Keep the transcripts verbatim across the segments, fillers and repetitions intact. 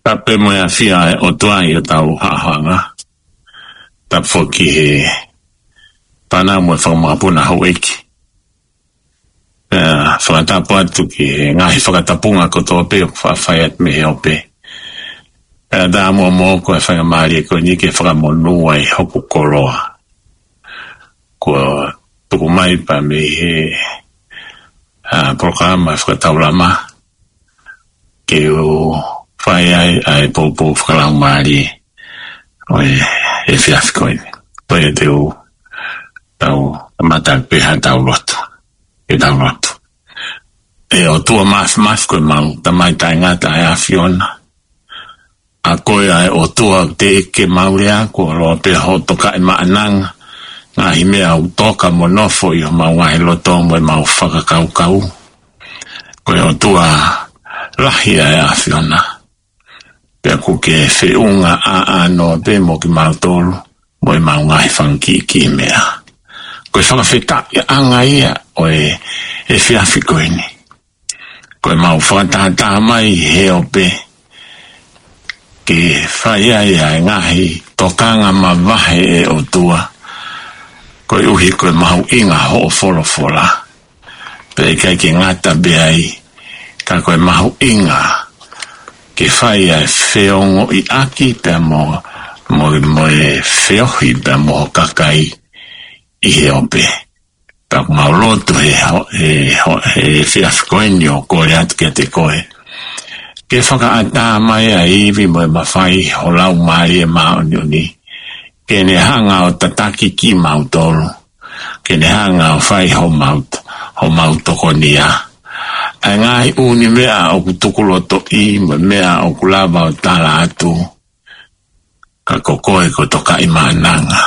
Tapu mo e ʻafio ʻa e ʻOtua ʻi hotau haʻohaʻonga. Tapu foki he fānau mo e fanga makapuna houʻeiki. Pea fakatapu atu ki he ngaahi fakatapunga kotoa pē ʻoku faʻa fai atu mei he ope. Pea tā muʻa moʻoku e faingamālie ko eni ke fakamonū ai hoku koloa. Kuo tuku mai pē mei he, ā, polokalama fakataulama ke u fai ai ʻa e poupou fakalaumālie ʻo e, ʻo e efiafi ko eni. Ko ia te u tau kamata pē ha tau lotu. Ke tau lotu. ʻE ʻOtua Māfimafi, ko homau Tamai taʻengata ʻa e ʻAfiona. ʻA koe ʻa e ʻOtua teʻeki ke mau lea, kuo lava pē hoʻo tokaʻi maʻananga, ngaahi meʻa ʻoku toka mo nofo ʻi homau ngaahi loto mo ʻemau fakakaukau. Ko e ʻOtua lahi ʻa e ʻAfiona. Pea ʻoku ke feʻunga ʻaʻano pē mo kimautolu, mo ʻemau ngaahi fanga kiʻi meʻa. Ko e fakafetaʻiʻanga ia ʻo e, efiafi ko eni. Ko ʻemau fakatātā mai he ope, ke fai ai ʻa e ngaahi tokanga mavahe ʻa e ʻOtua. Koeʻuhi ko e mahuʻinga hoʻo folofola. Pea ʻikai ke ngata pē ai, ka ko e mahuʻinga ke fai ʻa e feongoʻiʻaki pea mo, mo, mo e feohi pea mo ho kakai ʻi he ope. Pea ʻoku mau lotu he, he, he efiafi ko eni ʻo kole atu kiate koe ke fakaʻatā mai ʻa e ivi mo e mafai ho Laumālie Māʻoniʻoni, ke ne hanga ʻo tataki kimautolu, ke ne hanga ʻo fai homau, homau tokonia. ʻA e ngaahi ʻū meʻa ʻoku tukulotoʻi, mo e meʻa ʻoku lava ʻo tala atu, ka ko koe ko Tokaʻimaʻananga.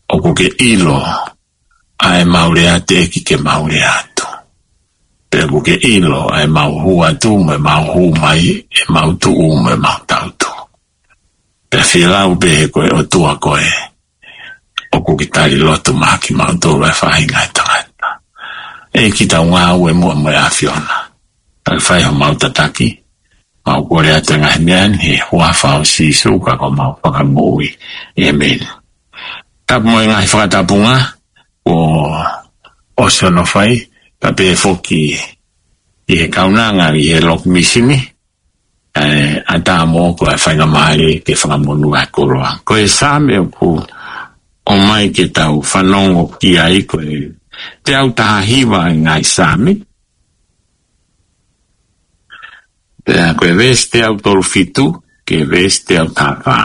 ʻOku ke ʻilo ʻa ʻemau lea teʻeki ke mau lea atu. Pea ʻoku ke ʻilo ʻa ʻemau hū atu, mo ʻemau hū mai, ʻemau tuʻu, mo ʻemau tautuʻu. Pea fielau pē he ko e ʻOtua koe, ʻoku ke tali lotu maʻa kimautolu ʻa e faʻahinga ʻo e tangata. ʻEiki, tau ngāue muʻa mo e ʻAfiona. Tau fai homau tataki, mau kole atu ʻa e ngaahi meʻa ni he huafa ʻo Sīsū ko homau Fakamoʻui. ʻĒmeni. Tapu mo e ngaahi fakatapunga kuo ʻosi hono fai, pea pehē foki ki he kaunanga ʻi he loki misini, ʻe, ʻatā mo ko e faingamālie ke fakamonū ʻa e koloa. Ko e Saame ʻoku ʻomai ke tau fanongo ki ai ko e teau taha hiva ʻi he ngaahi Saame. Pea ko e veesi teau tolu fitu, ki he veesi teau taha fā.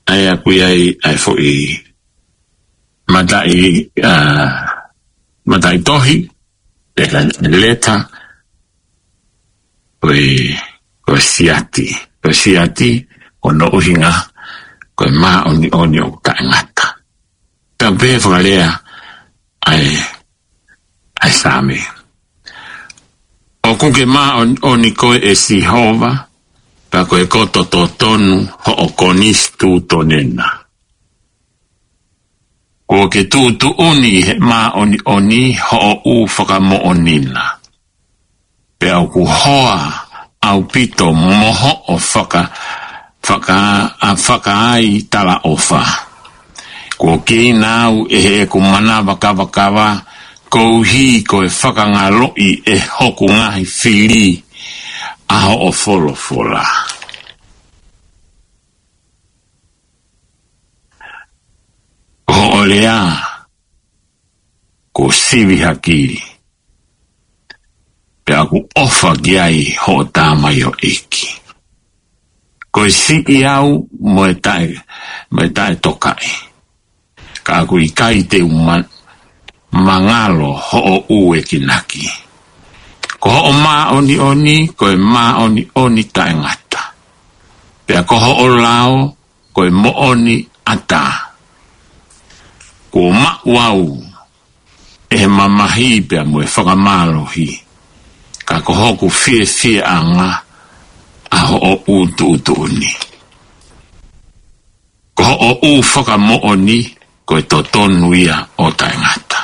ʻA ia ʻoku ʻi ai ʻa e foʻi mataʻi, ʻa, mataʻitohi, pe ko e leta, ko e, ko e siati. Ko e siati, ko hono ʻuhinga, ko e māʻoniʻoni ʻoku taʻengata. Pea pehē fakalea ʻa e, ʻa e Saame. ʻOku ke māʻoniʻoni koe ʻe Sihova, pea ko e koto totonu hoʻo konisitūtone na. Kuo ke tuʻutuʻuni he māʻoniʻoni hoʻo ʻū fakamoʻoni na. Pea ʻoku hoa ʻaupito mo hoʻo faka-, faka-, ʻa fakaai talaʻofa. Kuo keina au ʻe heʻeku manava kavakava, koeʻuhi ko e fakangaloʻi ʻe hoku ngaahi fili ʻa hoʻo folofola. Ko hoʻo lea kuo sivi hakili, pea ʻoku ʻofa ki ai hoʻo tamaioʻeiki. Ko e siʻi au mo e taʻe, mo e taʻetokaʻi, ka ʻoku ʻikai te u ma-, mangalo hoʻo ʻuekinaki. Ko hoʻo māʻoniʻoni ko e māʻoniʻoni taʻengata, pea ko hoʻo lao ko e moʻoni ʻatā. Kuo maʻu au ʻe he mamahi pea mo e fakamālohi, ka ko hoku fiefiaʻanga ʻa hoʻo ʻū tuʻutuʻuni. Ko hoʻo ʻū fakamoʻoni ko e totonu ia ʻo taʻengata.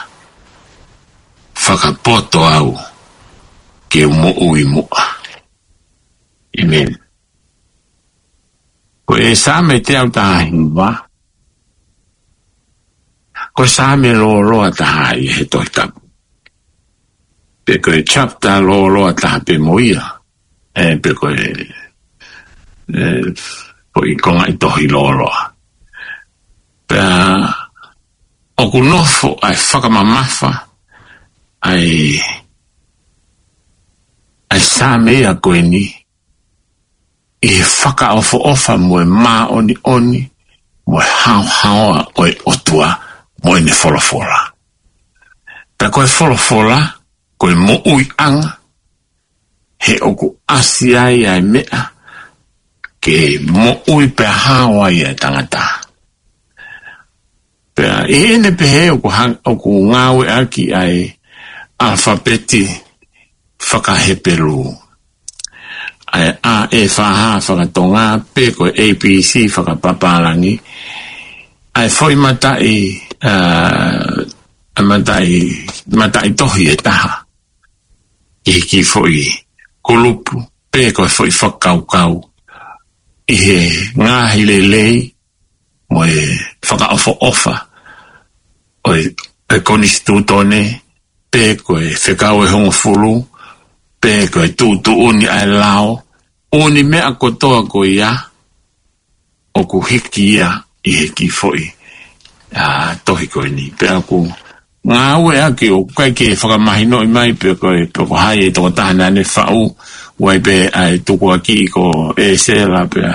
Fakapoto au ke u moʻui muʻa. ʻĒmeni. Ko e Saame teau taha hiva, ko e Saame lōloa taha ia he Tohi Tapu. Pe ko e chapter lōloa taha pē mo ia, ʻe, pe ko e, ʻe, ko e konga ʻi he tohi lōloa. Pea ʻoku nofo ʻa e fakamamafa ʻa e, ʻa e Saame ia ko eni, ʻi he fakaʻofoʻofa mo e māʻoniʻoni, mo e haohaoa ʻo e ʻOtua, mo ʻene folofola. Pea ko e folofola, ko e moʻuiʻanga, he ʻoku ʻasi ai ʻa e meʻa, ke moʻui pea hao ai ʻa e tangata. Pea ʻi heʻene pehē ʻoku ha-, ʻoku ngāueʻaki ʻa e ʻalafapeti fakaHepelū. ʻa e A E F H fakatonga, pe ko e A B C fakapapālangi, ʻa e foʻi mataʻi, ā, ʻa e mataʻi, mataʻi tohi ʻe taha ki he kiʻi foʻi kulupu, pe ko e foʻi fakakaukau ʻi he ngaahi lelei mo e fakaʻofoʻofa ʻo e, ʻo e konisitūtone, pe ko e fekau ʻe hongofulu, pe ko e tuʻutuʻuni ʻa e lao, ʻū meʻa kotoa ko ia, ʻoku hiki ia ʻi he kiʻi foʻi, ā, tohi ko eni. Pea ʻoku ngāueʻaki ʻoku ʻikai ke fakamahinoʻi mai pe ko e, pe ko hai e tokotaha naʻa ne faʻu, ʻoku ʻi ai pē ʻa e tukuakiʻi ko ʻĒsela pea,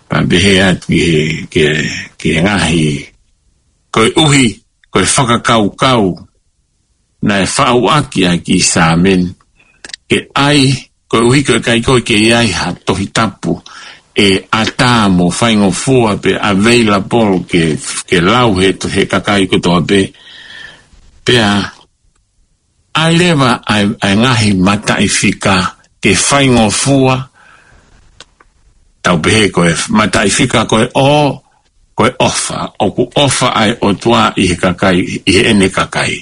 pea pehē atu ki he, ki he, ki he ngaahi, koeʻuhi ko e fakakaukau naʻe faʻu ʻaki ʻa e kiʻi sāmeni, ke ʻai, koeʻuhi ko e ʻikai ko ē ke ʻi ai ha Tohi Tapu ʻe ʻatā mo faingofua pe available ke, ke lau he, he kakai kotoa pē. Pea ʻai leva ʻa e, ʻa e ngaahi mataʻi fika ke faingofua, tau pehē ko e mataʻi fika ko e ʻo, ko e ʻofa, ʻoku ʻofa ʻa e ʻOtua ʻi he kakai, ʻi heʻene kakai.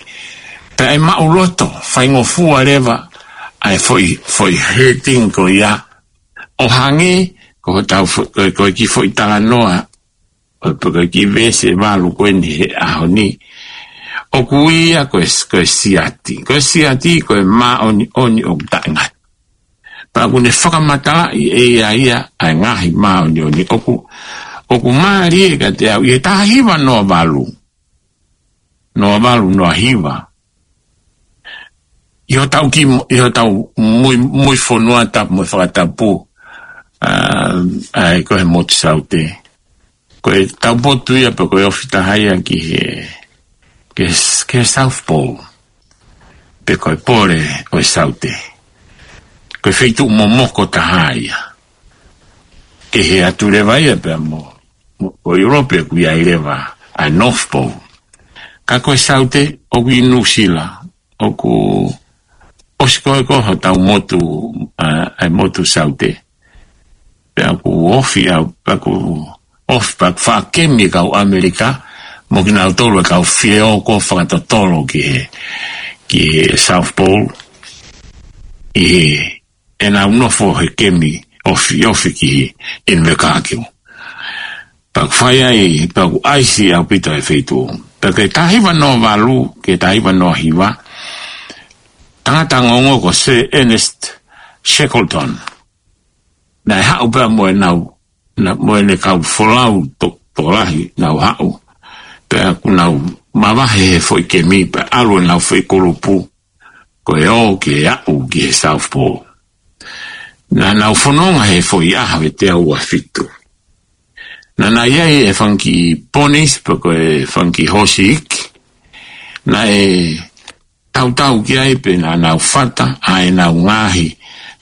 Pea ʻe maʻuloto, faingofua leva ʻa e foʻi, foʻi heading ko ia, ʻo hangē ko hotau fo-, ko e, ko e kiʻi foʻi talanoa, ʻo e, ko e kiʻi veesi ʻe valu ko eni he ʻaho ni. ʻOku ui ia ko e, ko e siati. Ko e siati ko e māʻoniʻoni ʻoku taʻengata. Pea ʻoku ne fakamatalaʻi ʻe ia ia ʻa e ngaahi māʻoniʻoni. ʻOku, ʻoku mālie kiate au, ʻi he taha hiva noa valu. Noa valu, noa hiva. ʻI hotau ki, ʻi hotau mui, mui fonua tapu mo fakatapu, ā, ʻa e ko e motu Saute. Ko e taupotu ia pe ko e ofi taha ia ki he, ki he, ki he South Pole. Pe ko e pole ʻo e Saute. Ko e feituʻu momoko taha ia. Kehe atu leva ia pea mo, mo, ʻo ʻIulope ʻoku ʻi ai leva ʻa e North Pole. Ka ko e Saute ʻoku ʻi Nuʻusila, ʻoku ʻosi ko ē ko hotau motu, ā, ʻa e motu Saute. Pea ʻoku ofi au, pea ʻoku ofi pea ʻoku faʻa kemi kau ʻAmelika, mo kinautolu e kau fie ō ko ē fakatotolo ki he, ki he South Pole, ʻi he, ʻenau nofo he kemi ofi, ofi ki he, in the car queue. Pea ʻoku fai ai, pea ʻoku ʻaisi ʻaupito e feituʻu. Pea ki he taha hiva noa valu, ki he taha hiva noa hiva, tangata ongoongo ko Sir Ernest Shackleton. Naʻe haʻu pea mo ʻenau, na, mo ʻene kau folau to, tokolahi nau haʻu. Pea ʻoku nau mavahe he foʻi kemi, pea ʻalu ʻenau foʻi kulupu, ko e ō ke aʻu ki he South Pole. Naʻa nau fononga he foʻi ʻaho ʻe teau ua fitu. Naʻa na ʻi ai e fanga kiʻi ponies pe ko e fanga kiʻi hoosi iiki. Naʻe tautau ki ai pea naʻa nau fata ʻa ʻenau ngaahi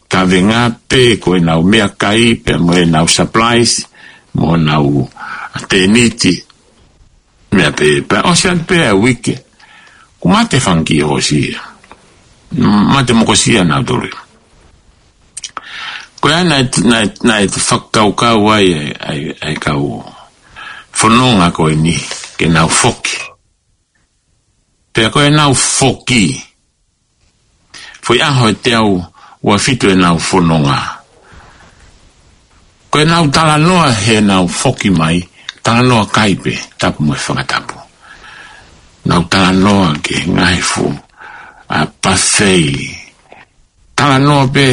kavenga pe ko ʻenau meʻakai pea mo ʻenau supplies mo ʻenau tēniti. Meʻa pē, pea ʻosi atu pē ʻa e uike, kuo mate fanga kiʻi hoosi ia. Mate mokosia nautolu. Ko ia naʻe, naʻe, naʻe fakakaukau ai, ʻa e, ʻa e, ʻa e kau fononga ko eni, ke nau foki. Pea ko ʻenau foki, foʻi ʻaho ʻe teau ua fitu ʻenau fononga. Ko ʻenau talanoa heʻenau foki mai, talanoa kai pē, tapu mo e fakatapu. Nau talanoa ki he ngaahi fuʻu, ā, pafei. Talanoa pē,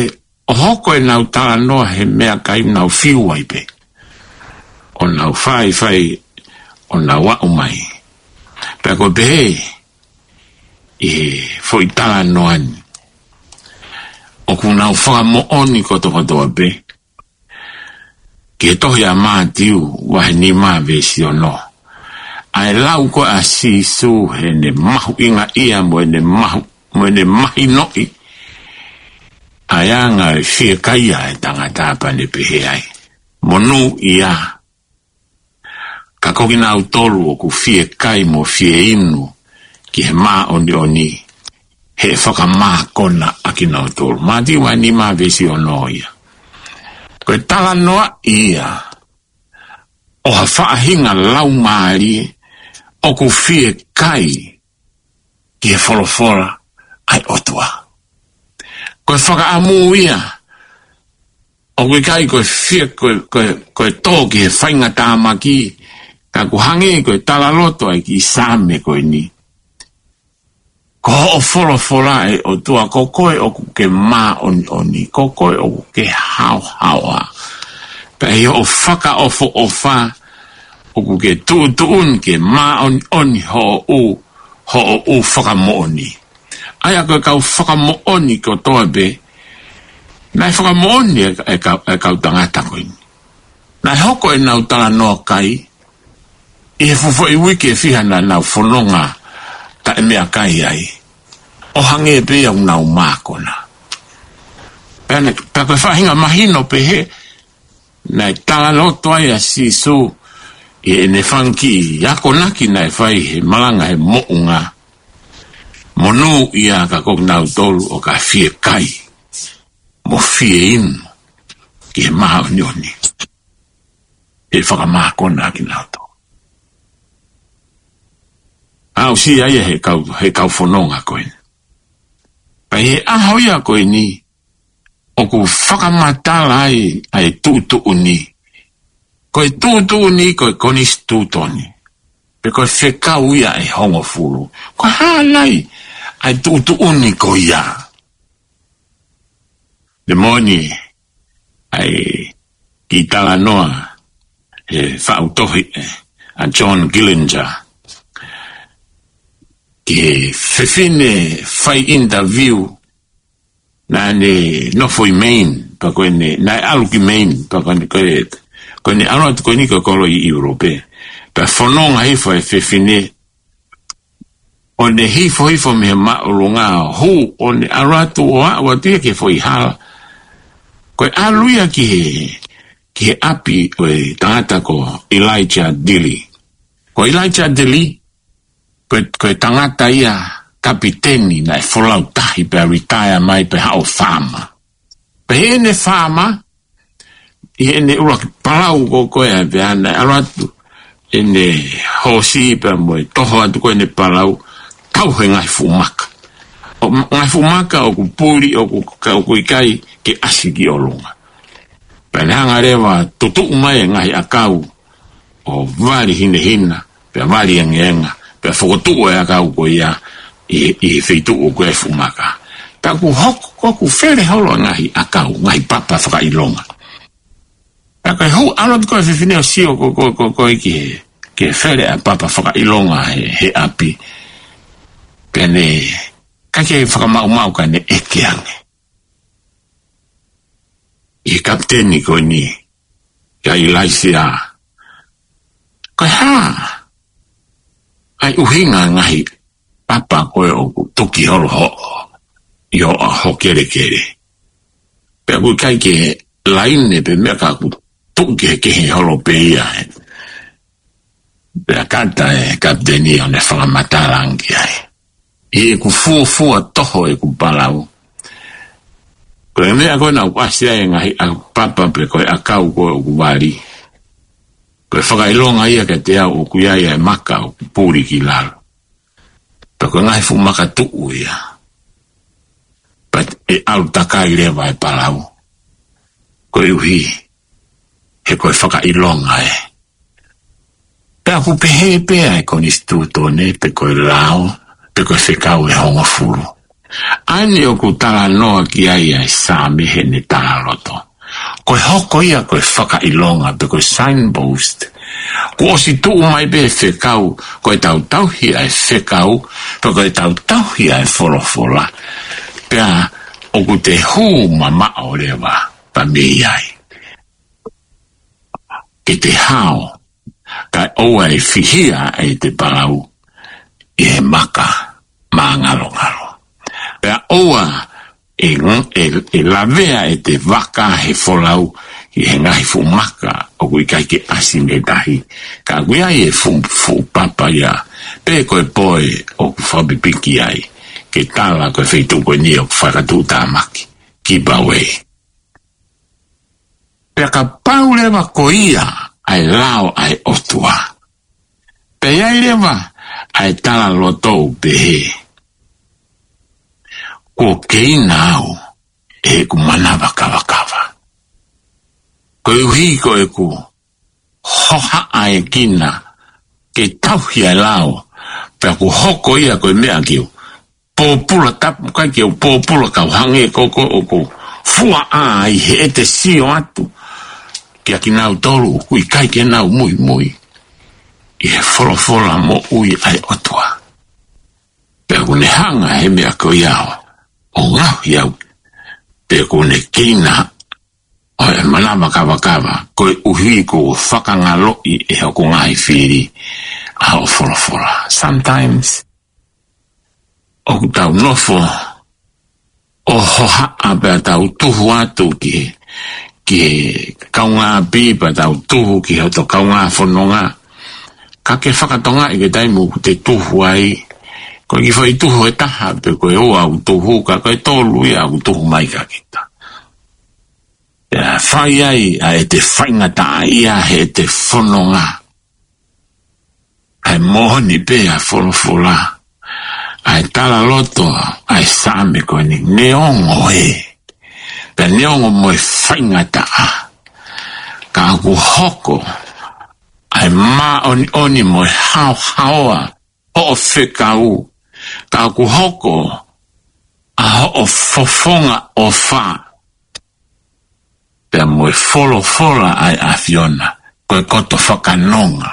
ʻo hoko ʻenau talanoa he meʻakai nau fiu ai pē. ʻO nau fai, fai, ʻo nau aʻu mai. Pea ko e pehē, ʻi he foʻi talanoa ni. ʻOku nau fakamoʻoni kotokotoa pē. Ki he tohi ʻa Mātiu, vahe nima veesi ono. ʻA e lau ko ē ʻa Sīsū heʻene mahuʻingaʻia mo ʻene mahu, mo ʻene mahinoʻi. ʻA e anga e fiekaia e tangata pea ne pehē ai. Monūʻia. Ka ko kinautolu ʻoku fie kai mo fie inu ki he māʻoniʻoni, he fakamākona ʻa kinautolu. Mātiu vahe nima veesi ono ia. Ko e talanoa ia ʻo ha faʻahinga laumālie ʻoku fie kai ki he folofola ʻa e ʻOtua. Ko e fakaʻamu ia, ʻoku ʻikai ko e fie, ko e, ko e, ko e tō ki he faingatāmaki, ka ʻoku hangē ko e talaloto ʻa e kiʻi Saame ko eni. Ko hoʻo folofola ʻe ʻOtua, ko koe ʻoku ke māʻoniʻoni, ko koe ʻoku ke haohaoa. Pea ʻi hoʻo fakaʻofoʻofa, ʻoku ke tuʻutuʻuni ke māʻoniʻoni hoʻo ʻū, hoʻo ʻū fakamoʻoni. ʻA ia ko e kau fakamoʻoni kotoa pē, naʻe fakamoʻoni e, e kau, e kau tangata ko eni. Naʻe hoko ʻenau talanoa kai ʻi he fuʻu foʻi uike ʻe fiha naʻa nau fononga taʻemeʻakai ai, ʻo hangē pē ia ʻoku nau mākona. Pea ne, pea ko e faʻahinga mahino pehē, naʻe talaloto ai ʻa Sīsū ʻi heʻene fanga kiʻi akonaki naʻe fai he malanga he moʻunga. Monū ia ka ko kinautolu ʻoku fie kai mo fie inu ki he māʻoniʻoni, ʻe fakamākona kinautolu. Aʻusia ia he kau, he kau fononga ko ē. Pea ʻi he ʻaho ia ko eni, ʻoku fakamatala ai ʻa e tuʻutuʻuni. Ko e tuʻutuʻuni, ko e konisitūtone. Pe ko e fekau ia ʻe hongofulu. Ko e hā nai ʻa e tuʻutuʻuni ko ia? Te moʻoni ʻa e kiʻi talanoa he faʻu tohi ʻa John Gillinger ki he fefine fai interview naʻa ne nofo ʻi Maine, pea ko ʻene, naʻe ʻalu ki Maine, pea ko ʻene, ko e, ko ʻene ʻalu atu ko eni ko e kolo ʻi ʻIulope. Pea fononga hifo e fefine, ʻo ne hifo hifo mei he māʻolunga ʻo hū, ʻo ne ʻalu atu ʻo aʻu atu ia ki he foʻi hala. Ko e ʻalu ia ki he, ki he ʻapi ʻo e tangata ko Elijah Dilly. Ko Elijah Dilly, ko e, ko e tangata ia kapiteni naʻe folau tahi pea retire mai pea haʻu ʻo faama. Pea ʻi heʻene faama, ʻi heʻene ʻuluaki palau ko ē pea naʻe ʻalu atu ʻene hoosi pea mo e toho atu ko ē ʻene palau, tau he ngaahi fuʻu maka. ʻO ma-, ngaahi fuʻu maka ʻoku puli, ʻoku, ka ʻoku ʻikai ke ʻasi ki ʻolunga. Pea ne hanga leva ʻo tutuʻu mai e ngaahi ʻakau ʻo vali hinehina, pea vali engeenga, pea fokotuʻu e ʻakau ko ia ʻi, ʻi he feituʻu ko ē fuʻu maka. Pea ʻoku hoko, ʻoku fele holo ngaahi ʻakau, ngaahi papa fakaʻilonga. Pea ko e hū ʻalu atu ko ē fefine ʻo sio ko, ko, ko, ko ē ki he, ki he fele ʻa e papa fakaʻilonga he, he ʻapi. Pea ne, ka ke fakamaʻumaʻu ka ne ʻeke ange ʻi he kapiteni ko eni, kia Ilaisiā, ko e hā ʻa e ʻuhinga ngaahi papa ko ē ʻoku tuki holo hoʻo, ʻi hoʻo kelekele. Pea ʻoku ʻikai ke laine pe meʻa ka ʻoku tuki he kehe holo pē ia ē. Pea kata e kapiteni ʻo ne fakamatala ange ki ai. ʻI heʻeku fuofua toho ʻeku palau, ko e meʻa ko ē naʻa ku ʻasi ai e ngaahi ʻakau papa pe ko e ʻakau ko ē ʻoku vali, ko e fakaʻilonga ia kiate au ʻoku ʻi ai e maka ʻoku puli ki lalo. Pea ko e ngaahi fuʻu maka tuʻu ia. Pea ʻe ʻalu takai leva e palau. Koeʻuhi he ko e fakaʻilonga ē. Pea ʻoku pehē pē ʻa e konisitūtone, pe ko e lao, pe ko e fekau ʻe hongofulu. ʻA eni ʻoku talanoa ki ai ʻa e Saame heʻene talaloto. Ko e hoko ia ko e fakaʻilonga, pe ko e signpost. Kuo ʻosi tuʻu mai pē fekau, ko ʻetau tauhi ʻa e fekau, pe ko ʻetau tauhi ʻa e folofola. Pea ʻoku te hū mamaʻo leva pea mei ai. Ke te hao, kae ʻoua ʻe fihia ʻete palau ʻi he maka māngalongalo. Pea ʻoua ʻe ng-, ʻe, ʻe lavea ʻete vaka he folau ʻi he ngaahi fuʻu maka ʻoku ʻikai ke ʻasi mei tahi. Ka ʻoku ʻi ai e fuʻu, fuʻu papa ia, pe ko e poe ʻoku fakapipiki ai, ke tala ko e feituʻu ko eni ʻoku fakatuʻutāmaki, keep away. Pea kapau leva ko ia ʻa e lao ʻa e ʻOtua, pea ʻi ai leva ʻa e talaloto ʻoku pehē, kuo keina au ʻe heʻeku manava kavakava, koeʻuhi ko ʻeku hohaʻa ʻa e kina ke tauhi ʻa e lao, pea kuo hoko ia ko e meʻa ke u pōpula tapu, ʻikai ke u pōpula kau hangē ko ʻeku fuaʻa ai heʻete sio atu kiate kinautolu ʻoku ʻikai ke nau muimui ʻi he folofola moʻui ʻa e ʻOtua. Pea ʻoku ne hanga he meʻa ko ia ʻo ngaohi au, pea ʻoku ne keina ʻa e manava kavakava, koeʻuhi kuo fakangaloʻi ʻe hoku ngaahi fili ʻa hoʻo folofola. Sometimes ʻoku tau nofo ʻo hohaʻa pea tau tuhu atu ki he, ki he kaungāʻapi, pea tau tuhu ki hoto kaungā fononga. Ka ke fakatonga ʻi he taimi ʻoku te tuhu ai, ko e kiʻi foʻi tuhu ʻe taha pe ko e ua ʻoku tuhu, ka ko e tolu ia ʻoku tuhu mai kiate kita. Pea fai ai ʻa ʻete faingataʻaʻia heʻete fononga. ʻA e moʻoni pē ʻa e folofola, ʻa e talaloto ʻa e Saame ko eni, neongo ē, pea neongo mo e faingataʻa, ka ʻoku hoko ʻa e māʻoniʻoni mo e haohaoa hoʻo fekau, ka ʻoku hoko ʻa hoʻo fofonga ʻofa, pea mo e folofola ʻa e ʻAfiona, ko e koto fakanonga,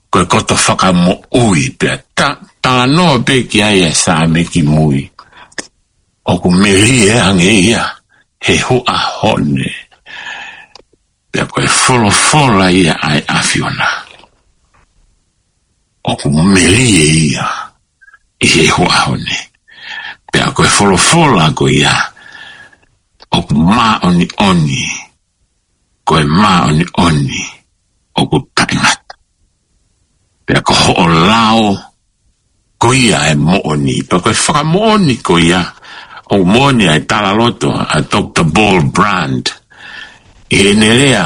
ko e koto fakamoʻui, pea ta-, talanoa pē ki ai ʻa e Saame kimui, ʻoku melie ange ia he huʻa hone. Pea ko e folofola ia ʻa e ʻAfiona, ʻoku melie ia ʻi he huʻa hone. Pea ko e folofola ko ia ʻoku māʻoniʻoni, ko e māʻoniʻoni ʻoku taʻengata. Pea ko hoʻo lao ko ia ʻa e moʻoni. Pea ko e fakamoʻoni ko ia, ʻoku moʻoni ʻa e talaloto ʻa Doctor Paul Brand ʻi heʻene lea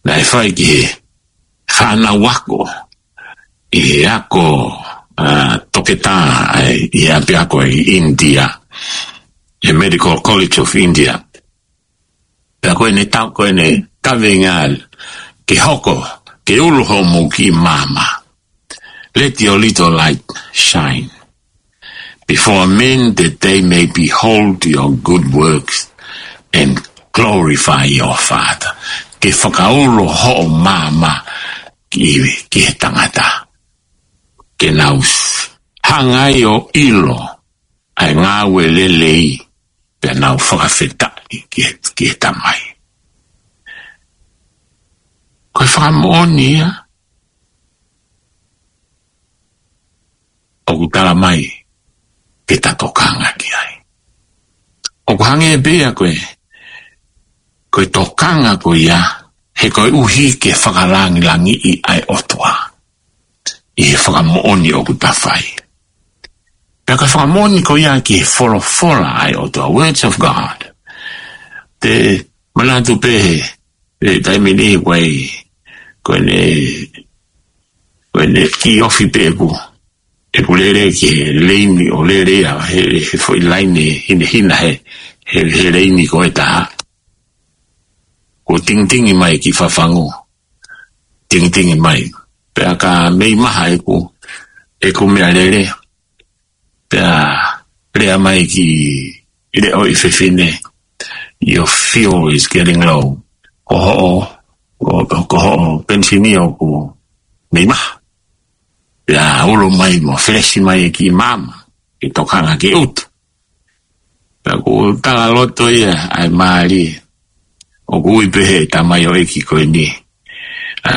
naʻe fai ki he fānau ako ʻi he ako, ʻa, toketā ʻi he ʻapiako ʻi ʻInitia, he Medical College of India. Pea ko ʻene tau, ko ʻene kaveinga, ke hoko, ke ulo hoʻomou kiʻi maama. Let your little light shine before men, that they may behold your good works and glorify your Father. Ke fakaulo hoʻo maama ki, ki he tangata, ke nau s-, hanga ai ʻo ʻilo ʻa e ngāue lelei, pea nau fakafetaʻi ki he, ki he Tamai. Ko e fakamoʻoni ia ʻoku tala mai ke ta tokanga ki ai. ʻOku hangē pē ia ko e, ko e tokanga ko ia, he koeʻuhi ke fakalangilangiʻi ʻa e ʻOtua ʻi he fakamoʻoni ʻoku ta fai. Pea ko e fakamoʻoni ko ia ki he folofola ʻa e ʻOtua, words of God. Te manatu pē he, he taimi ni ko e, ko ʻene, ko ʻene kiʻi ofi pē ʻeku, ʻeku lele ki he leini ʻo lele ia he, he foʻi laine hinehina he, he, he leini ko ē taha. Ko e tingitingi mai ki fafangu. Tingitingi mai. Pea ka mei maha ʻeku, ʻeku meʻalele. Pea lea mai kiʻi leʻo ʻi fefine, "Your fuel is getting low." Ko hoʻo, ko, ko hoʻo penisini ʻoku mei maha. Pea ulo mai mo felesi mai e kiʻi maama, ke tokanga ke utu. Pea ʻoku talaloto ia ʻa e mālie. ʻOku ui pē he tamaioʻeiki ko eni, ʻa,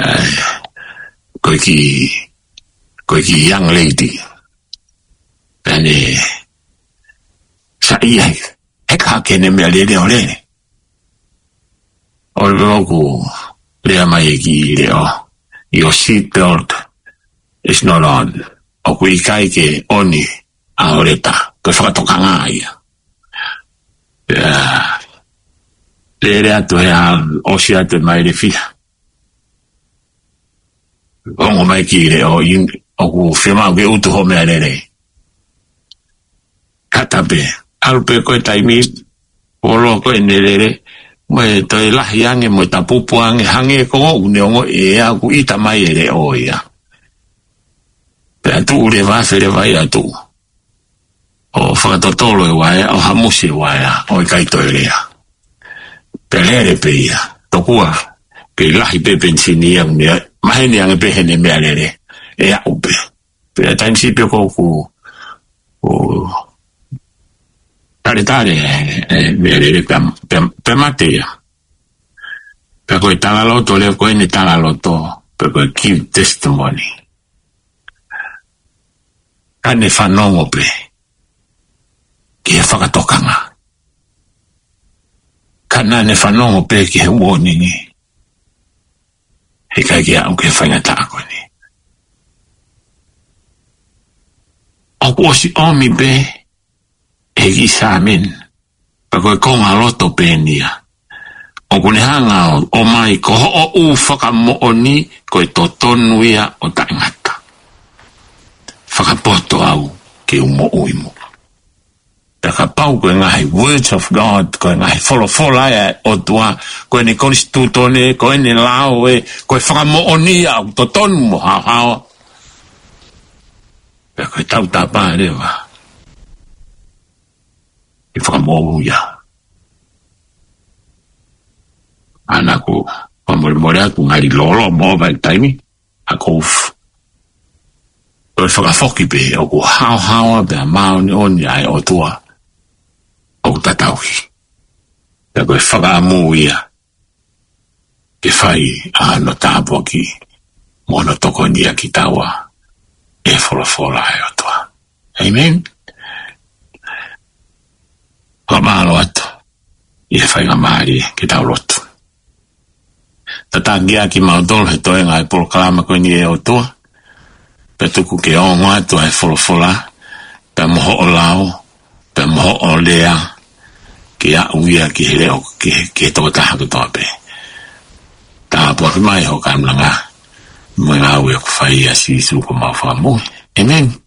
ko e kiʻi, ko e kiʻi young lady. Pea ne saiʻia ai, heka hake ʻene meʻalele ʻo lele. ʻO ʻoku lea mai e kiʻi leʻo, "Your seat belt is not on." ʻOku ʻikai ke ʻoni ʻa hoʻo leta, ko e fakatokanga ia. Pea lele atu he ʻaho, ʻosi atu e maile ʻe fiha. Ongo mai ki he leʻo, ʻoku fiemaʻu ke utu hoʻo meʻalele. Kata pē, ʻalu pē ko e taimi, ʻo lō ko ʻene lele, mo e toe lahi ange, mo e tapupu ange, hangē ko ʻene ongoʻi ʻe ia ʻoku ʻita mai e leʻo ia. Pea tuʻu leva, fele vai atu. ʻO fakatotolo e vaea, ʻo hamusi e vaea, ʻo ʻikai toe lea. Pea lele pē ia, tokua, kei lahi pē penisini ia, meʻa, maheni ange pē heʻene meʻalele, ʻe aʻu pē. Pea taimi siʻi pē ko ʻeku, ʻo, taletale, e, e, meʻalele pea, pea, pea mate ia. Pea ko e talaloto, lea ko ʻene talaloto, pea ko e give testimony. Ka ne fanongo pē ki he fakatokanga. Ka naʻa ne fanongo pē ki he uoningi. He ʻikai ke aʻu ki he faingataʻa ko eni. ʻOku ʻosi ʻomi pē, he kiʻi sāmini. Pea ko e konga loto pē eni ia. ʻOku ne hanga ʻo, ʻomai ko hoʻo ʻū fakamoʻoni ko e totonu ia ʻo taʻengata. Fakapoto au ke u moʻui muʻa. Pea kapau ko e ngaahi words of God, ko e ngaahi folofola ia ʻa e ʻOtua, ko ʻene konisitūtone, ko ʻene lao ē, ko e fakamoʻoni ia ʻoku totonu mo haohaoa. Pea ko e tautapa leva ke fakamoʻui ia. Ana ko, fakamolemole atu ngali lolo mo vai taimi, ʻa ko uf. Ko e fakafoki pē, ʻoku haohaoa pea māʻoniʻoni ʻa e ʻOtua ʻoku tatau ki. Pea ko e fakaʻamu ia ke fai ʻa hono tāpuaki mo hono tokoniʻi kitaua ʻe he folofola ʻa e ʻOtua. ʻĒmeni. Fakamālō atu ʻi he faingamālie ke tau lotu. Tataki ʻa kimautolu he toenga e polokalama ko eni ʻe ʻOtua. Pea tuku ke ongo atu ʻa e folofola, pea mo hoʻo lao, pea mo hoʻo lea, ke aʻu ia ki he leʻo, ki he, ki he tokotaha kotoa pē. Tāpuaki mai hoʻo kaunanga, mo e ngāue ʻoku fai ʻia Sīsū ko homau Fakamoʻui. ʻĒmeni.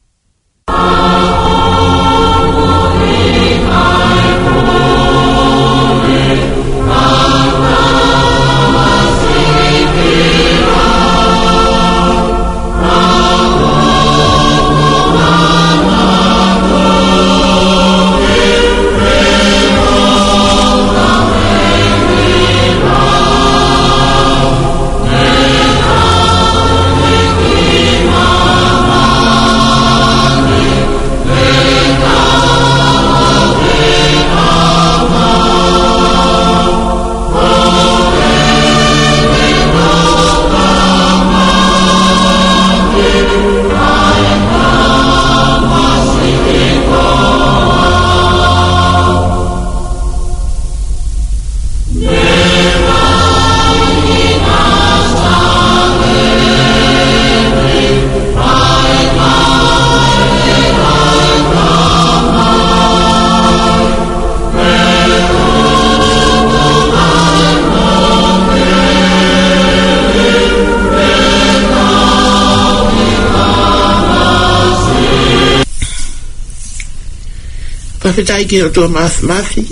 Fakafetaʻi ki he ʻOtua Māfimafi,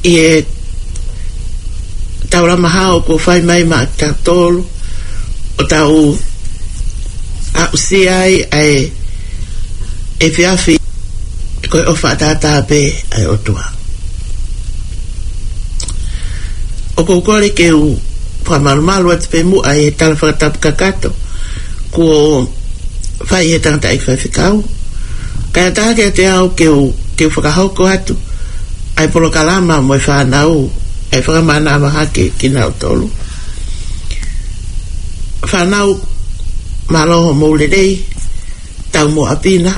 ʻi he taulama hao kuo fai mai maʻatautolu, ʻo tau aʻusia ai ʻa e efiafi ko e ʻofa ʻataʻatā pē ʻa e ʻOtua. ʻOku ou kole ke u fakamalumalu atu pē muʻa ʻi he tala fakatapu kakato kuo fai ʻe he tangataʻeiki faifekau. Kae ʻatā kiate au ke u, ke u fakahoko atu ʻa e polokalama mo e fānau, ʻa e fakamānava hake kinautolu. Fānau, mālō hoʻomou lelei, taumuʻa pina.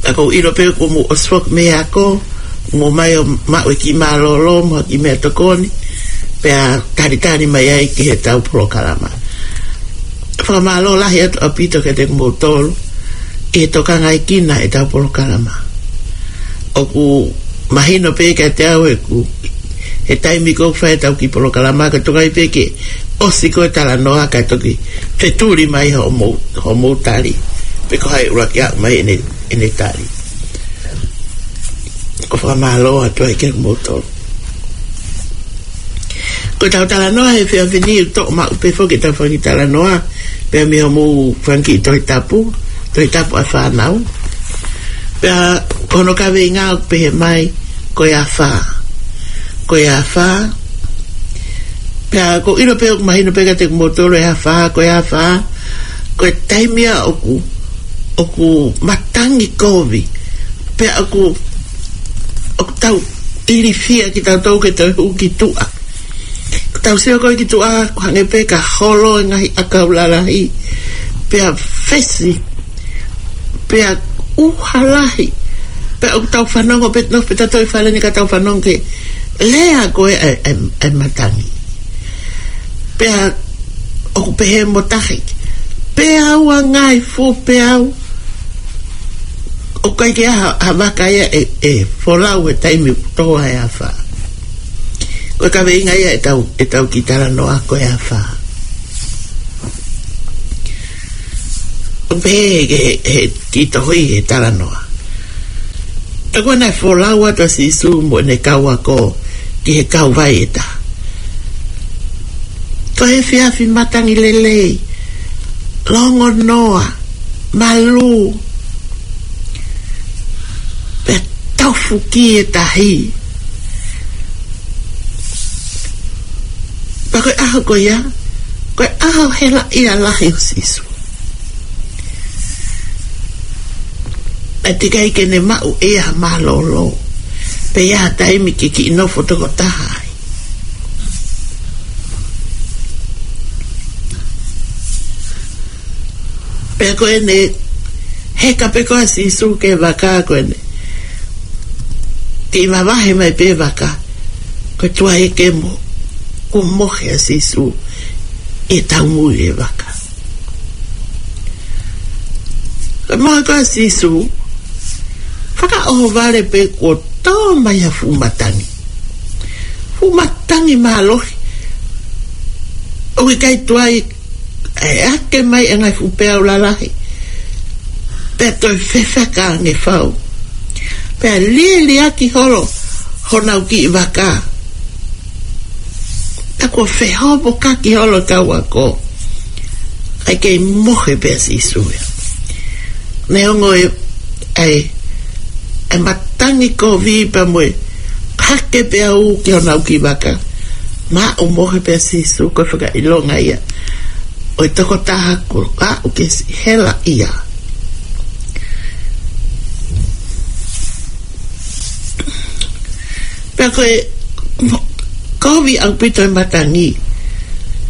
Ka ʻoku ou ʻilo pē kuo mou ʻosi foki mei he ako, mou ō mai ʻo maʻu e kiʻi mālōlō mo e kiʻi meʻatokoni, pea talitali mai ai ki heʻetau polokalama. Fakamālō lahi atu ʻaupito kiate kimoutolu ʻi he tokangaekina ʻetau polokalama. ʻOku mahino pē kiate au ʻeku, ʻE taimi ko ē ʻoku fai ʻetau kiʻi polokalama, ka toki ʻai pē ke ʻosi ko ē talanoa ka toki fetuli mai hoʻomou, hoʻomou tali. Pe ko hai ʻuluaki ʻaʻu mai ʻene, ʻene tali. Ko e fakamālō atu ai kia moutolu. Ko ʻetau talanoa he efiafi ni ʻoku toʻo maʻu pē foki ʻetau fanga kiʻi talanoa, pea mei hoʻomou fanga kiʻi Tohi Tapu, Tohi Tapu ʻa e fānau. Pea ko hono kaveinga ʻoku pehē mai, ko e afā. Ko e afā. Pea ʻoku ou ʻilo pē ʻoku mahino pē kiate kimoutolu e afā, ko e afā. Ko e taimi ia ʻoku, ʻoku matangi kovi. Pea ʻoku, ʻoku tau ilifia kitautolu ke tau hū ki tuʻa. Ko ʻetau sio ko ē ki tuʻa, ʻoku hangē pē ka holo e ngaahi ʻakau lalahi. Pea fesi. Pea ʻuha lahi. Pea ʻoku tau fanongo pē, nofo pē tautolu ʻi fale ni ka tau fanongo ki he lea ko ē ʻa e, ʻa e, ʻa e matangi. Pea ʻoku pehē mo tahi. Peau ʻa e ngaahi fuʻu peau. ʻOku ʻikai ke ʻi ai ha, ha vaka ia ʻe, ʻe folau he taimi ʻoku tō ai e afā. Ko e kaveinga ia ʻetau, ʻetau kiʻi talanoa ko e afā. ʻOku pehē he, he, he kiʻi tohi he talanoa. Ka ko ʻene folau atu ʻa Sīsū mo ʻene kau ako ki he kauvai ʻe taha. Ko e efiafi matangi lelei, longonoa, malū, pea tofu ki he tahi. Pea ko e ʻaho ko ia, ko e ʻaho helaʻia lahi ʻo Sīsū. Pea teʻeki ai ke ne maʻu ʻe ia ha mālōlō. Pea ʻi ai ha taimi ke kiʻi nofo tokotaha ai. Pea ko ʻene heka pē ko ē ʻa Sīsū ki he vaka ko ʻene kiʻi vavahe mai pē vaka. Ko e tuai ʻeke mo, kuo mohe ʻa Sīsū ʻi he taumuʻa ʻi he vaka. Ko e mohe ko ē ʻa Sīsū, fakaʻohovale pē kuo tō mai ha fuʻu matangi. Fuʻu matangi mālohi. ʻOku ʻikai tuai ʻe hake mai e ngaahi fuʻu peau lalahi. Pea toe fefeka ange fau. Pea lieliaki holo honau kiʻi vaka. Pea kuo fehovokaki holo e kau ako. ʻIkai ke mohe pē ʻa Sīsū ia. Neongo e, ʻa e, ʻa e matangi kovi pea mo e hake peau ki honau kiʻi vaka. Naʻe mohe pē ʻa Sīsū, ko e fakaʻilonga ia ʻo e tokotaha kuo aʻu ki he siʻi helaʻia. Pea ko e kovi ʻaupito e matangi.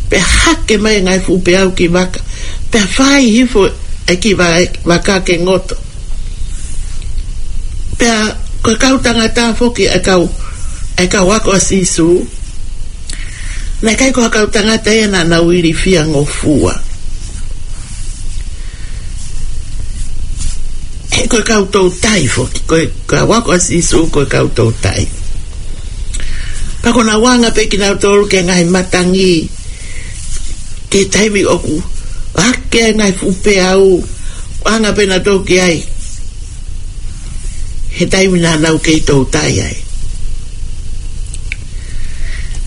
Pea hake mai e ngaahi fuʻu peau ki vaka. Pea fai hifo e kiʻi va-, vaka ke ngoto. Pea ko e kau tangata foki e kau, e kau ako ʻa Sīsū. Naʻe ʻikai ko ha kau tangata ia naʻa nau ilifia ngofua. He ko e kau toutai foki, ko e kau ako ʻa Sīsū ko e kau toutai. Pea ko ʻenau anga pē kinautolu ki he ngaahi matangi, ki he taimi ʻoku hake ai e ngaahi fuʻu peau, anga pē nautolu ki ai. He taimi naʻa nau kei toutai ai.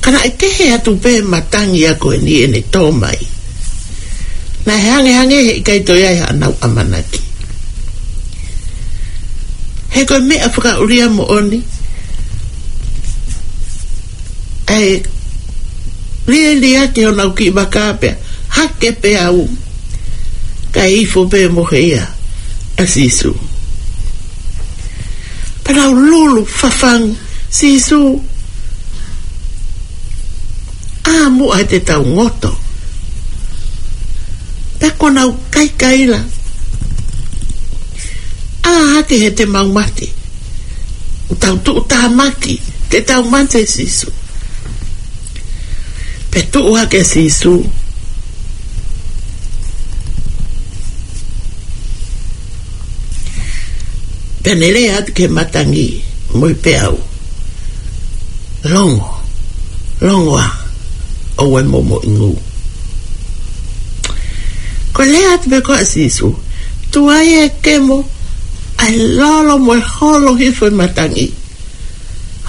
Ka naʻe kehe atu pē matangi ia ko eni ʻene tō mai. Naʻe hangehangē he ʻikai toe ʻi ai haʻanau ʻamanaki. He ko e meʻa fakaʻulia moʻoni. ʻA e lieliaki honau kiʻi vaka pea hake peau. Kae hifo pē mohe ia ʻa Sīsū. Pea nau lulu fafangu, Sīsū, ʻā muʻa he te tau ngoto. Pea ko ʻenau kaikaila, ʻā hake he te mau mate. Tau tuʻutāmaki, te tau mate Sīsū. Pea tuʻu hake ʻa Sīsū. Pea ne lea atu ki he matangi mo e peau. Longo. Longoa, ʻoua ʻe momoʻingu. Ko e lea atu pē ko ē ʻa Sīsū, tuai e kemo, ʻai lolo mo e holo hifo e matangi.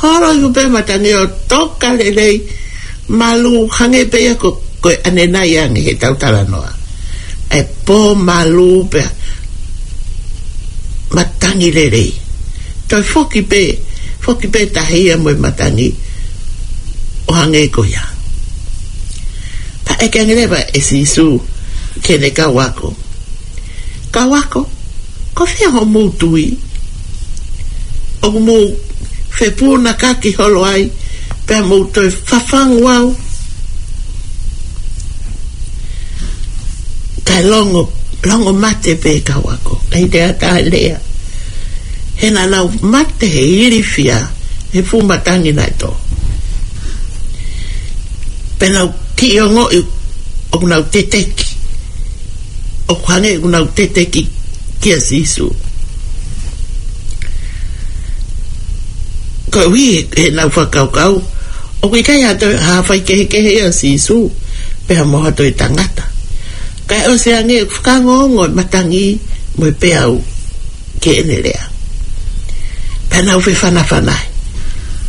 Holo hifo pē matangi ʻo toka lelei, malū hangē pē ia ko, ko e ʻanenai ange he tau talanoa. ʻAi pō malū pea matangi lelei. Toe foki pē, foki pē tahi ia mo e matangi ʻo hangē ko ia. Pea ʻeke ange leva ʻe Sīsū ki heʻene kau ako. Kau ako, ko fē hoʻomou tui? ʻOku mou fepunakaki holo ai, pea mou toe fafangu au? Kae longo, longo mate pē kau ako. ʻIkai toe ʻi ai ha lea. He naʻa nau mate he ilifia he fuʻu matangi naʻe tō. Pea nau kiʻi ongoʻi ʻoku nau teteki. ʻOku hangē ʻoku nau teteki kia Sīsū. Koeʻuhi heʻenau fakakaukau ʻoku ʻikai ha toe ha faikehekehe ʻia Sīsū pea mo ha toe tangata. Kae ʻosi ange ʻoku fakaongoongo e matangi mo e peau ki heʻene lea. Pea nau fefanafana ai,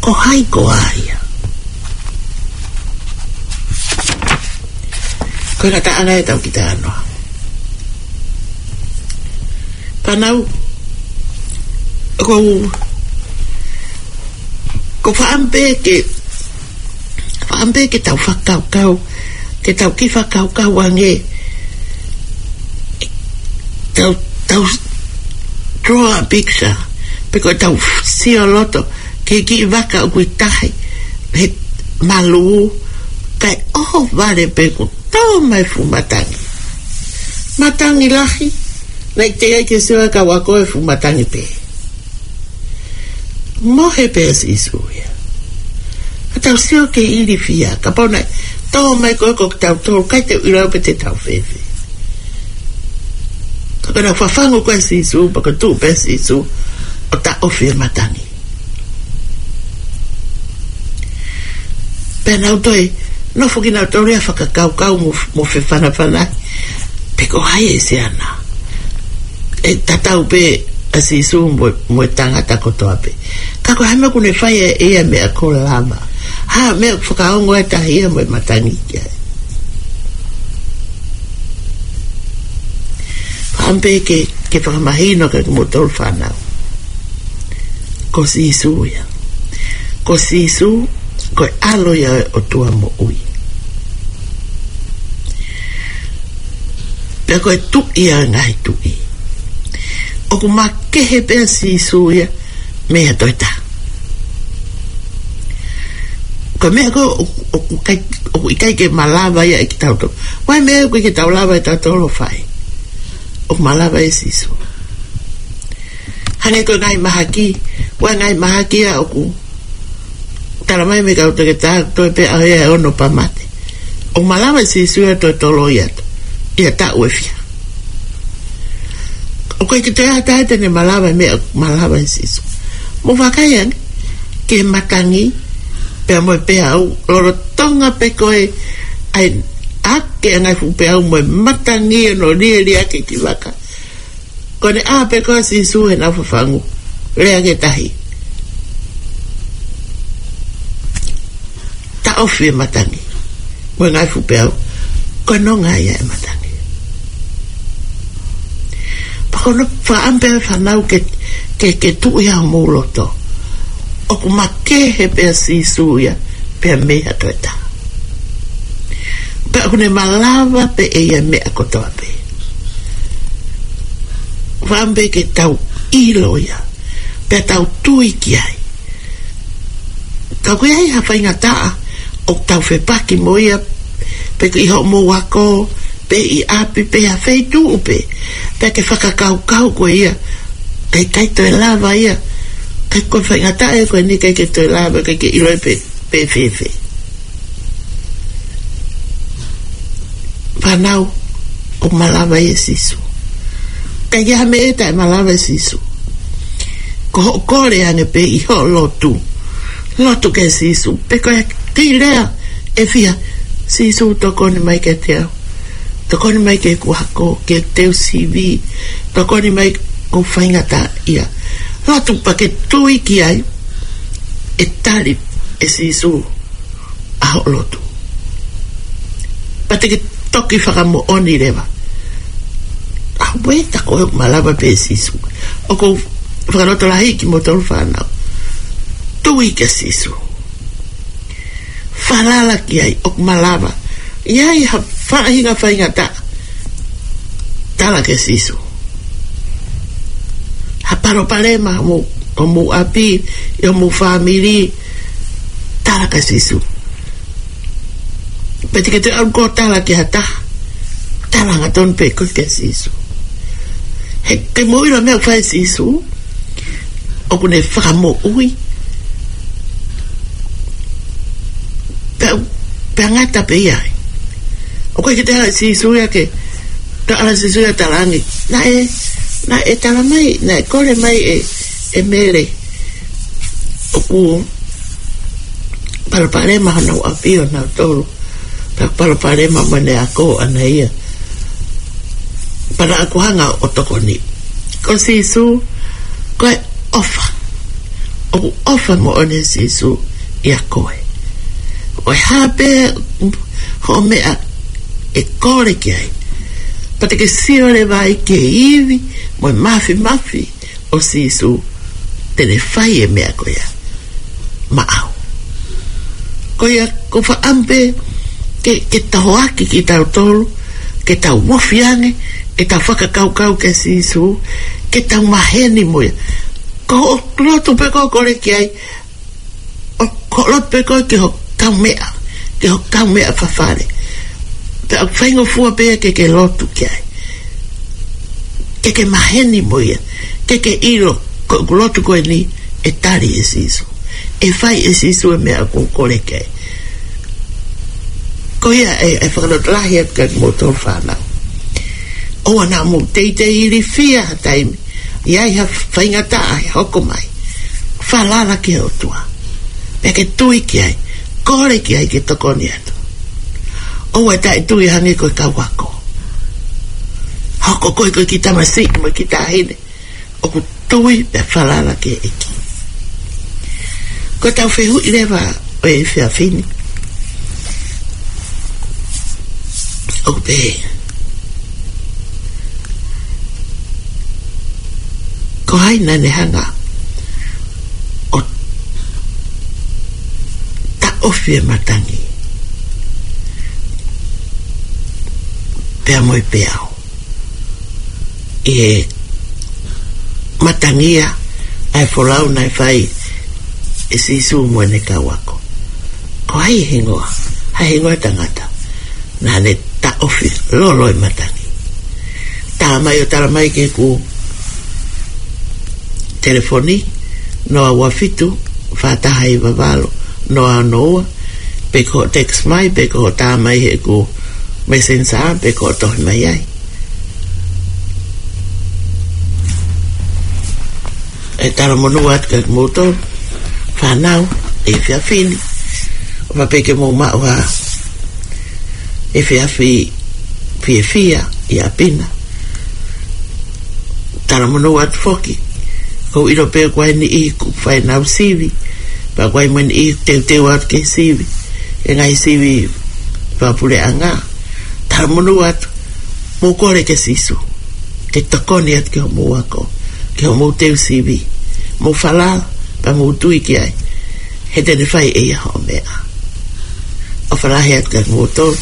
ko hai koā ia? Ko e ngataʻanga ē ʻetau kiʻi talanoa. Pea nau, ko, ko fakaʻamu pē ke, fakaʻamu pē ke tau fakakaukau, ke tau kiʻi fakakaukau ange, tau, tau draw a picture, pe ko ʻetau sio loto ki he kiʻi vaka ʻoku ʻi tahi he malū, kae ʻohovale pē kuo tō mai e fuʻu matangi. Matangi lahi, naʻe teʻeki ai ke sio ʻa e kau ako he fuʻu matangi pē. Mohe pē ʻa Sīsū ia. Ka tau sio ki he ilifia, kapau naʻe tō mai ko ē ko kitautolu, ʻikai te u ʻilo pe te tau fēfē. Ka ko ʻenau fafangu ko ē ʻa Sīsū, pea ko e tuʻu pē ʻa Sīsū ʻo taʻofi e matangi. Pea nau toe nofo kinautolu ia ʻo fakakaukau mo, mo fefanafana, pe ko hai e siana. ʻE tatau pē ʻa Sīsū mo, mo e tangata kotoa pē. Ka ko e hā e meʻa ʻoku ne fai ʻe ia he meʻa ko e lava? Hā e meʻa ʻoku fakaongo ai e tahi ia mo e matangi ki ai? Fakaʻamu pē ke, ke fakamahino kiate kimoutolu fānau. Ko Sīsū ia. Ko Sīsū, ko e ʻAlo ia ʻo e ʻOtua moʻui. Pea ko e Tuʻi ia ʻo e ngaahi tuʻi. ʻOku makehe pē ʻa Sīsū ia mei ha toe taha. Ko e meʻa ko ē ʻoku, ʻoku ʻikai, ʻoku ʻikai ke malava ia ʻe kitautolu. Ko e meʻa ʻoku ʻikai ke tau lava ʻe tautolu ʻo fai, ʻoku malava ʻe Sīsū. Hangē ko e ngaahi mahaki, ko e ngaahi mahaki ia ʻoku tala mai mei he kau toketā, toe pē ʻaho ia ʻe ono pea mate. ʻOku malava ʻe Sīsū ia ʻo toe toloi atu ia taʻu ʻe fiha. ʻOku ʻikai ke toe ʻi ai ha taha te ne malava e meʻa ʻoku malava ʻe Sīsū. Mou vakai ange ki he matangi pea mo e peau, lolotonga pē ko ē ʻa e ake ʻa e ngaahi fuʻu peau mo e matangi ʻo ne lieliaki e kiʻi vaka. Ko ʻene ʻā pē ko ē ʻa Sīsū heʻenau fafangu, lea ki he tahi, taʻofi e matangi mo e ngaahi fuʻu peau, ko e nonga ia e matangi. Pea ko hono fakaʻamu pē fānau ke, ke, ke tuʻu ia homou loto. ʻOku makehe pē ʻa Sīsū ia pea mei ha toe taha. Pea ʻoku ne malava pē ʻe ia e meʻa kotoa pē. Fakaʻamu pē ke tau ʻilo ia, pea tau tui ki ai. Ka ʻoku ʻi ai ha faingataʻa ʻoku tau fepaki mo ia, pe ko ʻi hoʻomou ako, pe ʻi ʻapi, pe ha feituʻu pē, pea ke fakakaukau ko ia, ʻikai, ʻikai toe lava ia. ʻIkai, ko e faingataʻa ia ko eni, ʻikai ke toe lava, ʻikai ke ʻilo ia pe, pe fēfē. Fānau, ʻoku malava ʻe Sīsū. ʻIkai ke ʻi ai ha meʻa ʻe taʻemalava ʻe Sīsū. Ko hoʻo kole ange pē ʻi hoʻo lotu, lotu kia Sīsū, pe ko e Tei lea ʻe fiha, Sīsū, tokoni mai kiate au. Tokoni mai ki heʻeku ako, ki heʻeku teu sivi. Tokoni mai, ʻoku ou faingataʻaʻia. Lotu pea ke tui ki ai, ʻe tali ʻe Sīsū ʻa hoʻo lotu. Pea te ke toki fakamoʻoni leva. ʻAuē, tā ko e malava pē Sīsū. ʻOku ou fakalotolahiʻi kimoutolu fānau. Tui kia Sīsū. Falala ki ai, ʻoku malava. ʻI ai ha faʻahinga faingataʻa, tala kia Sīsū. Ha palopalema homou, homou ʻapi, ʻi homou fāmili, tala kia Sīsū. Pea te ke toe ʻalu koe ʻo tala ki ha taha, tala hangatonu pē koe kia Sīsū. He ke mou ʻilo e meʻa ʻoku fai ʻe Sīsū, ʻoku ne fakamoʻui. Pea, pea ngata pē ia. ʻOku ʻikai ke toe ʻalu ʻa Sīsū ia ke, toe ʻalu ʻa Sīsū ia ʻo talaange, naʻe, naʻe tala mai, naʻe kole mai ʻe, ʻe Mele. ʻOku palopalema honau ʻapi ʻonautolu. Pea palopalema mo ʻene ako ʻana ia. Pea naʻa ku hanga ʻo tokoni. Ko Sīsū, ko e ʻofa. ʻOku ʻofa moʻoni ʻa Sīsū ʻia koe. Ko e hā pē hoʻo meʻa ʻe kole ki ai. Pea te ke sio leva ai ki he ivi mo e māfimafi ʻo Sīsū, te ne fai e meʻa ko ia maʻau. Ko ia, ʻoku ou fakaʻamu pē ke, ke tau hoaki kitautolu, ke tau ofi ange, ke tau fakakaukau kia Sīsū, ke tau maheni mo ia. Ko hoʻo lotu pē ʻoku kole ki ai, ʻoku lotu pē koe ki hoʻo kaumeʻa, ki hoʻo kaumeʻa fafale. Pea ʻoku faingofua pē ia ke ke lotu ki ai. Ke ke maheni mo ia, ke ke ʻilo, ko ʻeku lotu ko eni, ʻe tali ʻe Sīsū. ʻE fai ʻe Sīsū e meʻa ʻoku ou kole ki ai. Ko ia ʻe, ʻe fakalotolahi atu kia kimoutolu fānau. ʻOua naʻa mou teitei ilifia ha taimi. ʻI ai ha faingataʻa ʻe hoko mai. Falala ki he ʻOtua. Pea ke tui ki ai. Kole ki ai ke tokoni atu. ʻOua ʻe taʻetui hangē ko e kau ako. Hoko koe ko e kiʻi tamasiʻi mo e kiʻi taʻahine ʻoku tui pea falala ki he ʻEiki. Ko ʻetau fehuʻi leva ʻo e efiafi ni, ʻoku pehē: Ko hai naʻa ne hanga ʻo taʻofi e matangi pea mo e peau ʻi he matangi ia ʻa e folau naʻe fai ʻe Sīsū mo ʻene kau ako? Ko hai e hingoa, ha hingoa ʻo e tangata naʻa ne taʻofi lolo e matangi? Tā mai ʻo tala mai ki heʻeku telefoni, noa ua fitu, fā taha hiva valu, noa ono ua, pe ko hoʻo text mai, pe ko hoʻo tā mai heʻeku Messenger, pe ko hoʻo tohi mai ai. ʻE talamonū atu kia kimoutolu fānau he efiafi ni. ʻOfa pē ke mou maʻu ha efiafi fiefia ʻi ʻapi na. Talamonū atu foki. ʻOku ou ʻilo pē ʻoku ʻi ai e niʻihi ʻoku fai ʻenau sivi, pea ʻoku ʻi ai mo e niʻihi ʻoku teuteu atu ke sivi he ngaahi sivi fakapuleʻanga. Talamonū atu, mou kole kia Sīsū ke tokoni atu ki hoʻomou ako, ki hoʻomou teu sivi. Mou falala, pea mou tui ki ai, he te ne fai ʻe ia hoʻo meʻa. ʻOfa lahi atu kia kimoutolu.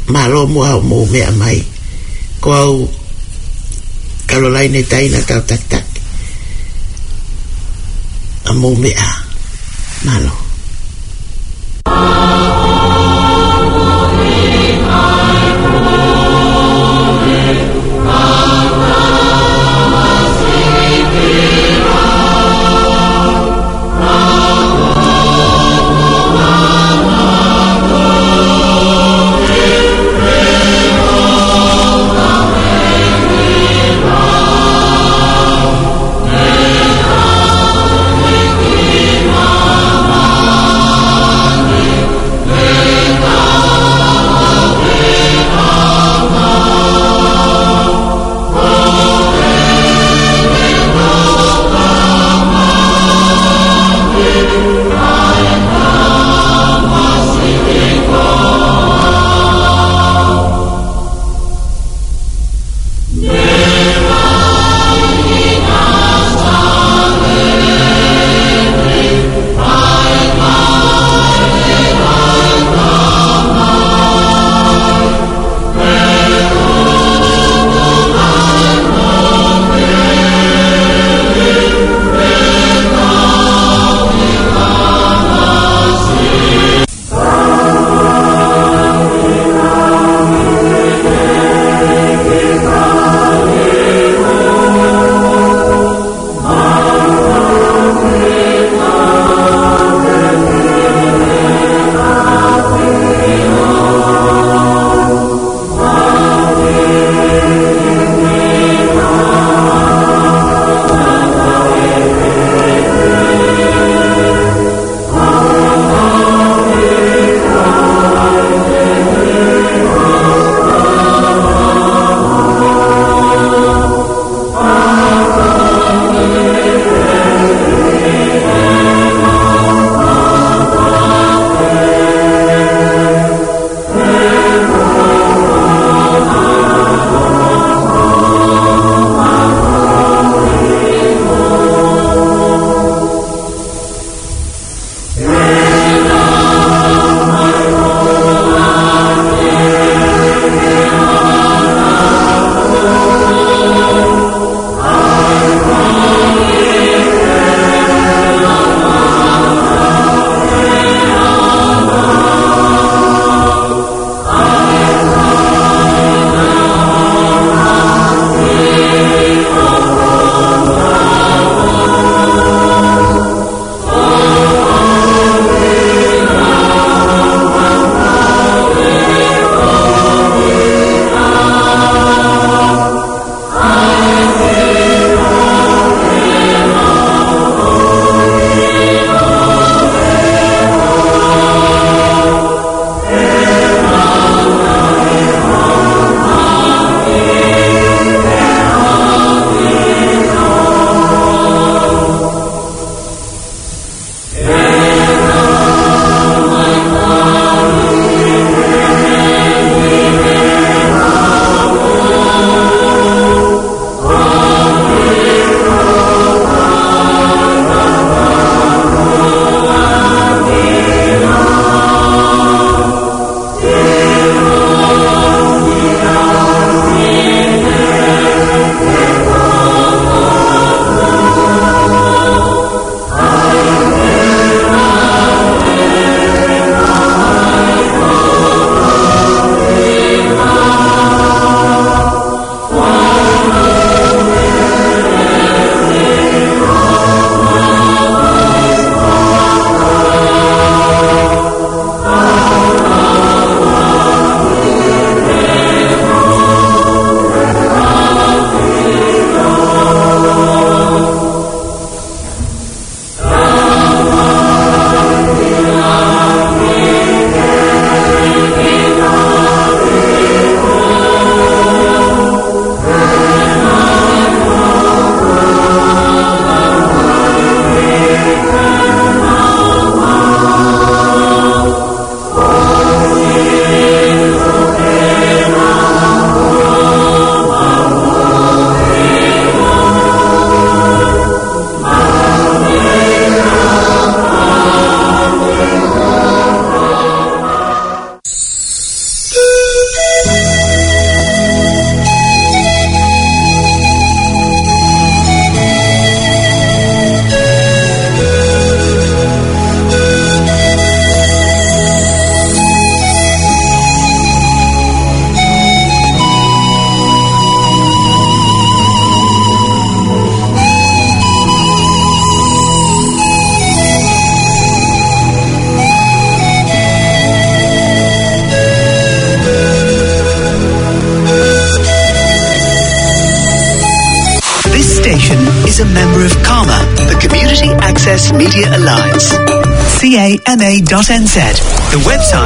Mālō muʻa hoʻomou meʻa mai. Ko au Kalolaine Taina Tautakitaki. ʻA mou meʻa. Mālō. Media Alliance. C A M A dot N Z. The website.